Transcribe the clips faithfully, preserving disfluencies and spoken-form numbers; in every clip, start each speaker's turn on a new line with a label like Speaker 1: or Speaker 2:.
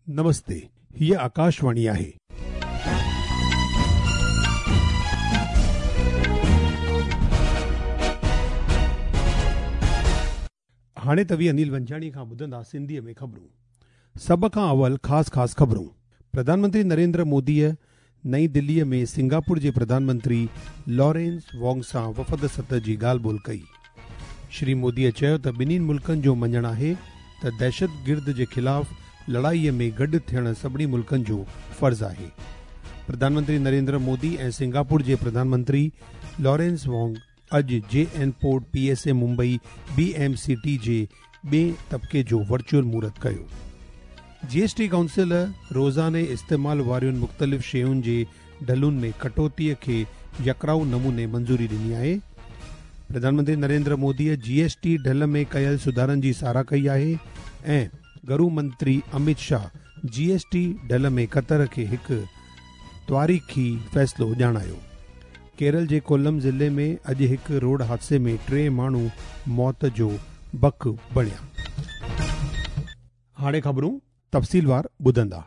Speaker 1: नमस्ते, हीअ आकाशवाणी आहे. हाणे तव्हीं अनिल वंजाणी खां ॿुधंदा सिंधीअ में ख़बरूं. सभ खां अवल ख़ासि ख़ासि ख़बरूं. प्रधानमंत्री नरेंद्र मोदीअ नई दिल्लीअ में सिंगापुर जे प्रधानमंत्री लॉरेंस वोंग सां वफ़द सतह जी ॻाल्हि ॿोल कई. श्री मोदीअ चयो त ॿिन्हिनि मुल्कनि जो मञणु आहे त दहशतगिर्द जे ख़िलाफ़ लड़ाईअ में गॾु थियणु सभिनी मुल्कनि जो फ़र्ज़ आहे. प्रधानमंत्री नरेंद्र मोदी ऐं सिंगापुर जे प्रधानमंत्री लॉरेंस वोंग अॼु J N port P S A Mumbai B M C T जे ॿिए तबिके जो वर्चुअल मुहूर्त कयो. जी एस टी काउंसिल रोज़ाने इस्तेमाल वारियुनि मुख़्तलिफ़ शयुनि जे ढलुनि में कटौतीअ खे यकराउ नमूने मंज़ूरी ॾिनी आहे. प्रधानमंत्री नरेंद्र मोदीअ जी एस टी ढल में कयल सुधारनि जी सराह कई आहे ऐं गृह मंत्री Amit Shah G S T ढल में क़तर खे हिकु तारीख़ी फ़ैसिलो ॼाणायो. केरल जे कोलम ज़िले में अॼु हिकु रोड हादसे में टे माण्हू मौत जो बक बणिया. हाणे ख़बरूं तफ़सीलवार ॿुधंदा.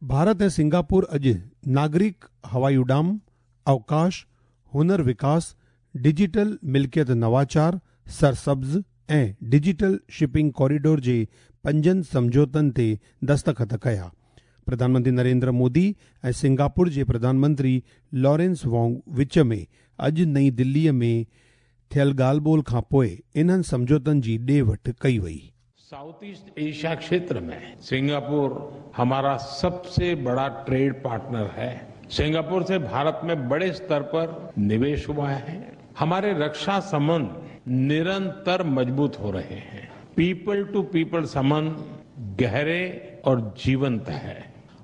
Speaker 1: भारत ऐं सिंगापुर अॼु नागरिक हवाई उॾाम, अवकाश, हुनर विकास, डिजिटल मिल्कियत नवाचार, सरसब्ज़ ऐं डिजिटल शिपिंग कॉरिडोर जे पंजनि सम्झौतनि ते दस्तख़त कया. प्रधानमंत्री नरेंद्र मोदी ऐं सिंगापुर जे प्रधानमंत्री लॉरेंस वोंग विच में अॼु नई दिल्लीअ में थियल ॻाल्हि ॿोल खां पोइ इन्हनि सम्झौतनि जी ॾे वठि कई वई.
Speaker 2: साउथ ईस्ट एशिया क्षेत्र में सिंगापुर हमारा सबसे बड़ा ट्रेड पार्टनर है. सिंगापुर से भारत में बड़े स्तर पर निवेश हुआ है. हमारे रक्षा संबंध निरंतर मजबूत हो रहे हैं. पीपल टू पीपल संबंध गहरे और जीवंत है.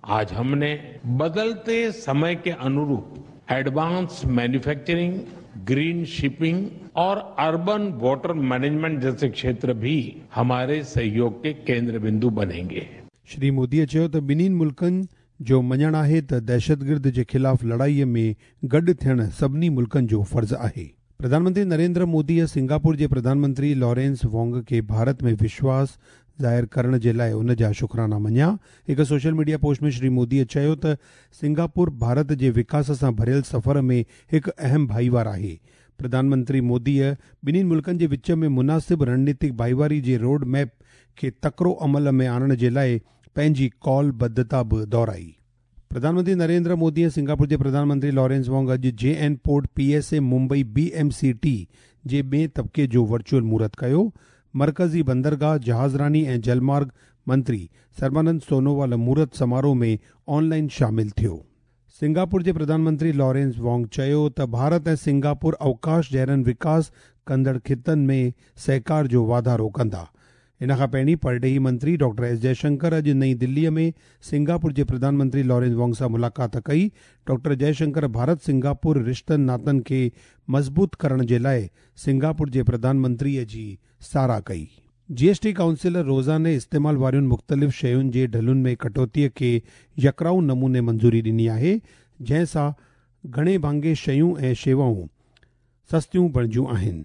Speaker 2: आज हमने बदलते समय के अनुरूप एडवांस मैन्युफैक्चरिंग, ग्रीन शिपिंग और अर्बन वाटर मैनेजमेंट जैसे क्षेत्र भी हमारे सहयोग के केंद्र बिंदु बनेंगे.
Speaker 1: श्री मोदीअ चयो त ॿिन्हिनि मुल्कनि जो मञणु आहे त दहशतगिर्द जे ख़िलाफ़ लड़ाईअ में गॾु थियणु सभिनी मुल्कनि जो फ़र्ज़ आहे. प्रधानमंत्री नरेंद्र मोदीअ सिंगापुर जे प्रधानमंत्री लॉरेंस वोंग खे भारत में विश्वास ज़ाहिर करण जे लाइ उन जा शुक्राना मञिया. हिकु सोशल मीडिया पोस्ट में श्री मोदीअ चयो त सिंगापुर भारत जे विकास सां भरियल सफ़र में हिकु अहम भाईवार आहे. प्रधानमंत्री मोदीअ ॿिन्हिनि मुल्कनि जे विच में मुनासिब रणनीतिक भाईवारी जे रोड मैप खे तकिड़ो अमल में आणण जे लाइ पंहिंजी कॉलबद्धता बि दोहराई. प्रधानमंत्री नरेंद्र मोदी ऐं सिंगापुर जे प्रधानमंत्री लॉरेंस वोंग अॼु J N port P S A Mumbai B M C T जे ॿिए तबिके जो वर्चुअल मुहूर्त कयो. मरकज़ी बंदरगाह, जहाज़रानी ऐं जलमार्ग मंत्री सर्बानंद सोनोवाल मुहूर्त समारोह में ऑनलाइन शामिल थियो. सिंगापुर जे प्रधानमंत्री लॉरेंस वोंग चयो त भारत ऐं सिंगापुर अवकाश जहिड़नि विकास कंदड़ ख़ितनि में सहकार जो वाधारो कंदा. इन खां पहिरीं परॾेही मंत्री डॉक्टर एस जयशंकर अॼु नई दिल्लीअ में सिंगापुर जे प्रधानमंत्री लॉरेंस वोंग सां मुलाक़ात कई. डॉक्टर जयशंकर भारत सिंगापुर रिश्तनि नातनि खे मज़बूत करण जे लाइ सिंगापुर जे प्रधानमंत्रीअ जी सराह कई. जी एस टी काउंसिल रोज़ाने इस्तेमाल वारियुनि मुख़्तलिफ़ शयुनि जे ढलुनि में कटौतीअ खे यकराउ नमूने मंज़ूरी ॾिनी आहे, जंहिं सां घणे भाङे शयूं ऐं शेवाऊं सस्तियूं बणिजियूं आहिनि.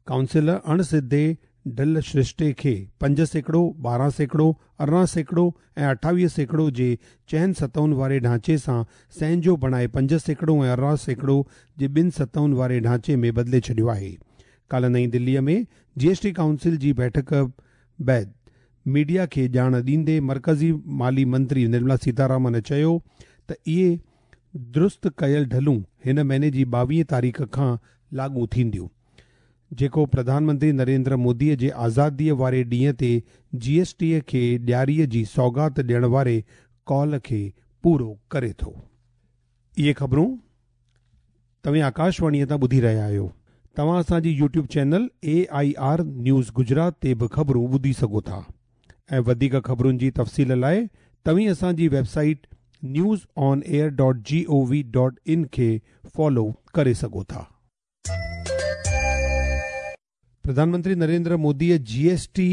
Speaker 1: काउंसिल अणसिधे ढल सृष्टे खे पंज सैकड़ो, ॿारहं सैकड़ो, अरिड़हं सैकड़ो ऐं अठावीह सैकड़ो जे चइनि सतहुनि वारे ढांचे सां सहंजो बणाए पंज सैकड़ो ऐं अरिड़हं सैकड़ो जे ॿिनि सतहुनि वारे ढांचे में बदिले छॾियो आहे. काल्ह नई दिल्लीअ में जी एस टी काउंसिल जी बैठक बाद मीडिया खे ॼाण ॾींदे मरकज़ी माली मंत्री निर्मला सीतारामन चयो त इहे दुरुस्त कयल ढलूं हिन महीने जी ॿावीह तारीख़ खां लागू थींदियूं, जेको प्रधानमंत्री नरेंद्र मोदीअ जे आज़ादीअ वारे ॾींहं ते जी एस टीअ खे ॾियारीअ जी सौगात ॾियण वारे कॉल खे पूरो करे थो. इहे ख़बरूं तव्हीं आकाशवाणीअ तां ॿुधी रहिया आहियो. तव्हां असांजी YouTube channel A I R news Gujarat ते बि ख़बरूं ॿुधी सघो था ऐं वधीक ख़बरुनि जी तफ़सील लाइ तव्हीं असांजी website news on air dot G O V dot in खे फॉलो करे सघो था. प्रधानमंत्री नरेंद्र मोदीअ जी एस टी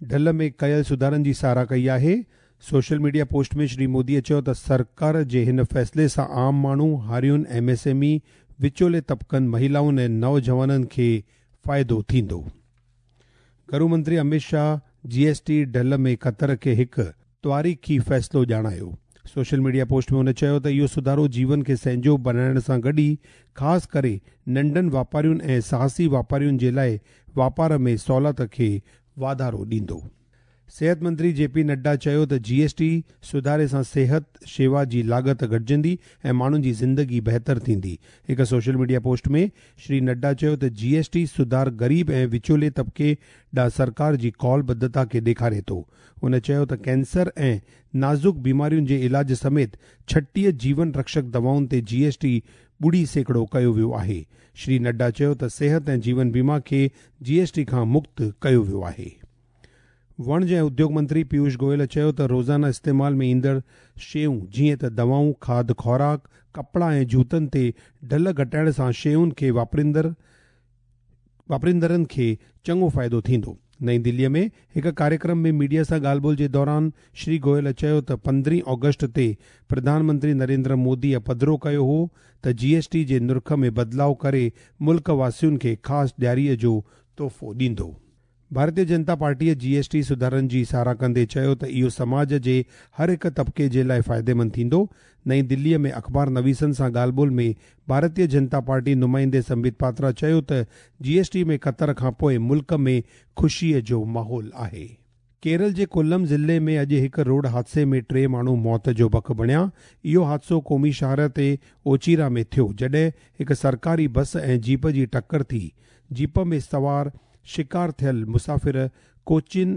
Speaker 1: ढल में कयल सुधारनि जी सराह कई आहे. सोशल मीडिया पोस्ट में श्री मोदीअ चयो त सरकार जे हिन फ़ैसिले सां आम माण्हू, हारियुनि, एम एस एम ई, विचोले तबिकनि, महिलाउनि ऐं नौजवाननि खे फ़ाइदो थींदो. गृह मंत्री Amit Shah G S T ढल में क़तर खे हिकु تاريخي فيصلو ڄاڻايو. سوشل ميڊيا پوسٽ ۾ هن چيو ته اهو سڌارو جيون کي سهنجو بڻائڻ سان گڏ ئي خاص ڪري ننڍن واپارين ۽ ساهسي واپارين جي لاءِ واپار ۾ سهولت کي واڌارو ڏيندو. صحت منتري جي پي نڊا چيو ته جي ايس ٽي سڌاري سان صحت شيوا جي لاڳت گهٽجندي ۽ ماڻهن جي زندگي بهتر ٿيندي. هڪ سوشل ميڊيا پوسٽ ۾ شري نڊا چيو ته جي ايس ٽي سڌار غريب ۽ وچولي طبقي ڏانهن سرڪار جي ڪالبڌتا کي ڏيکاري ٿو. هن چيو ته ڪينسر ۽ نازڪ بيمارين جي علاج سميت ڇٽيهه جيون رڪشڪ دوائن تي جي ايس ٽي ٻڙي سيڪڙو ڪيو ويو آهي. شري نڊا چيو ته صحت ۽ جيون بيما کي جي ايس ٽي کان مڪت ڪيو ويو آهي. وڻج ۽ اديوگ منتري پيوش گويل چيو ته روزانه استعمال ۾ ايندڙ شيون جيئن ته دوائون، کاڌ خوراڪ، ڪپڙا ۽ جوتن تي ڍل گهٽائڻ سان شين کي واپريندڙ واپريندڙن کي چڱو فائدو ٿيندو. نئين دليءَ ۾ هڪ ڪاريڪرم ۾ ميڊيا سان ڳالهه ٻولهه جي دوران شري گويل چيو ته پندرهين آگسٽ تي پرڌان منتري نريندر موديءَ پڌرو ڪيو هو ته جي ايس ٽي جي نرخ ۾ بدلاءُ ڪري ملڪ واسين کي خاص ڏياريءَ جو تحفو ڏيندو. ڀارتيه جنتا پارٽيءَ جي ايس ٽي سڌارن جي ساراهه ڪندي چيو ته اهو سماج جي هر هڪ طبقي جي لاءِ فائديمند ٿيندو. نئين دليءَ ۾ اخبار نويسن سان ڳالهه ٻولهه ۾ ڀارتيه جنتا پارٽي نمائندي سنبت پاترا چيو ته جي ايس ٽي ۾ ڪتر کان پوءِ ملڪ ۾ خوشيءَ جو ماحول آهي. ڪيرل جي ڪولم ضلعي ۾ اڄ هڪ روڊ حادثي ۾ ٽي ماڻهو موت جو بک بڻيا. اهو حادثو قومي شاهراهه تي اوچيرا ۾ ٿيو، جڏهن هڪ سرڪاري بس ۽ جيپ جي ٽڪر ٿي. جيپ ۾ سوار شڪار ٿيل مسافر ڪوچين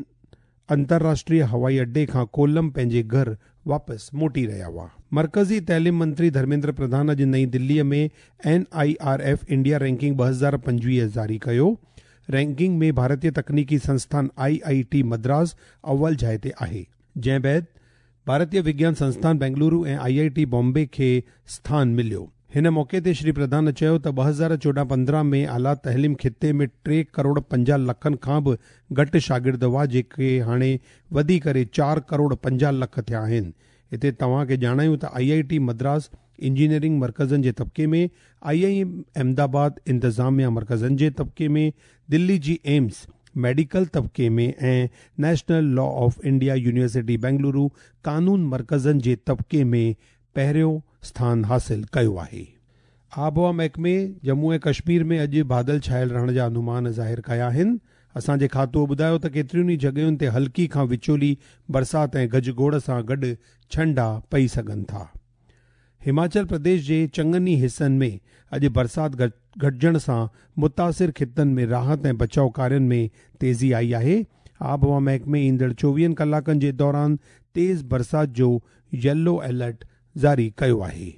Speaker 1: انترراشٽريه هوائي اڏي کان ڪولم پنهنجي گهر واپس موٽي رهيا هئا. مرڪزي تعليم منتري ڌرميندر پرڌان اڄ نئين دليءَ ۾ N I R F India ranking ٻه هزار پنجويهه جاري ڪيو. رينڪنگ ۾ ڀارتيه تڪنيڪي سنسٿان I I ٽي مدراس اول جاءِ تي آهي، جنهن بعد ڀارتيه وگيان سنسٿان بينگلورو ۽ I I ٽي بامبي کي اسٿان مليو. هن موقعي تي شري پرڌان چيو ته ٻه هزار چوڏهن پندرهن ۾ اعليٰ تعليم خطي ۾ ٽي ڪروڙ پنجاهه لکن کان به گهٽ شاگرد هئا، جيڪي هاڻي وڌي ڪري چار ڪروڙ پنجاهه لک ٿيا آهن. هتي توهان کي ڄاڻايون ته I I T Madras engineering مرڪزن جي طبقي ۾، I I M Ahmedabad انتظاميا مرڪزن جي طبقي ۾، دلي جي ايمس ميڊيڪل طبقي ۾ ۽ national law of India university Bengaluru قانون مرڪزن جي طبقي ۾ پهريون اسٿان حاصل ڪيو آهي. آبهوا محڪمي ڄمون ۽ ڪشمير ۾ اڄ بادل ڇايل رهڻ جا انومان ظاهر ڪيا آهن. اسان جي کاتو ٻڌايو ته ڪيترين ئي جڳهين تي هلڪي کان وچولي برسات ۽ گجگوڙ سان گڏ ڇنڊا پئي سگهن ٿا. هماچل پرديش جي چڱن ئي حصن ۾ اڄ برسات گهٽجڻ سان متاثر خطن ۾ راحت ۽ بچاءُ ڪارين ۾ تيزي آئي آهي. آبهوا محڪمي ايندڙ چوويهن ڪلاڪن جي دوران تيز برسات جو يلو الرٽ جاري ڪيو آهي.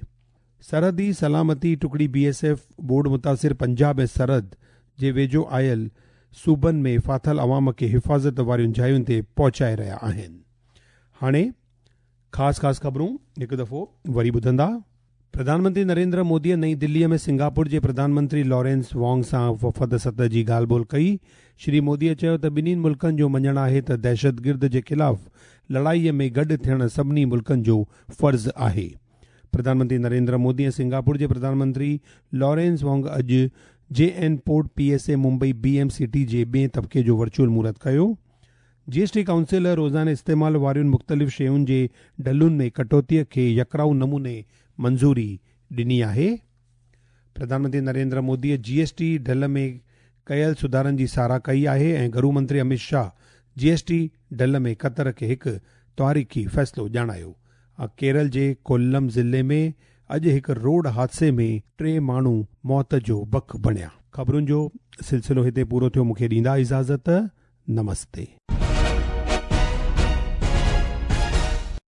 Speaker 1: سرحدي سلامتي ٽڪڙي بي ايس ايف ٻوڏ متاثر پنجاب ۽ سرحد جي ويجهو آيل صوبن ۾ ڦاٿل عوام کي حفاظت وارين جاين تي پهچائي رهيا آهن. هاڻي خاص خاص خبرون هڪ دفعو وري ٻڌندا. پرڌان منتري نريندر موديءَ نئين دليءَ ۾ سنگاپور جي پرڌان منتري لارينس وانگ سان وفد سطح جي ڳالهه ٻولهه ڪئي. شري موديءَ چيو ته ٻنهي ملڪن جو مڃڻ آهي ته دهشتگرد جي خلاف لڙائيءَ ۾ گڏ ٿيڻ سڀني ملڪن جو فرض آهي. پرڌان منتري نريندر مودي ۽ سنگاپور جي پرڌان منتري لارينس وانگ اڄ J N port P S A Mumbai B M C T جي ٻئي طبقي جو ورچوئل مهورت ڪيو. جي ايس ٽي ڪائونسل روزاني استعمال وارين مختلف شين جي ڍلن ۾ ڪٽوتيءَ کي يڪراءُ نموني منظوري ڏني آهي. پرڌان منتري نريندر موديءَ جي ايس ٽي ڍل ۾ ڪيل سڌارن جي ساراهه ڪئي آهي ۽ گهرو منتري امت شاهه جي ايس ٽي ڍل ۾ ڪتر کي هڪ تاريخي فيصلو ڄاڻايو. ڪيرل جي ڪولم ضلعي ۾ اڄ هڪ روڊ حادثي ۾ ٽي ماڻهو موت جو بک بڻيا. خبرن جو سلسلو هتي پورو ٿيو. مون کي ڏيندا اجازت. نمستي.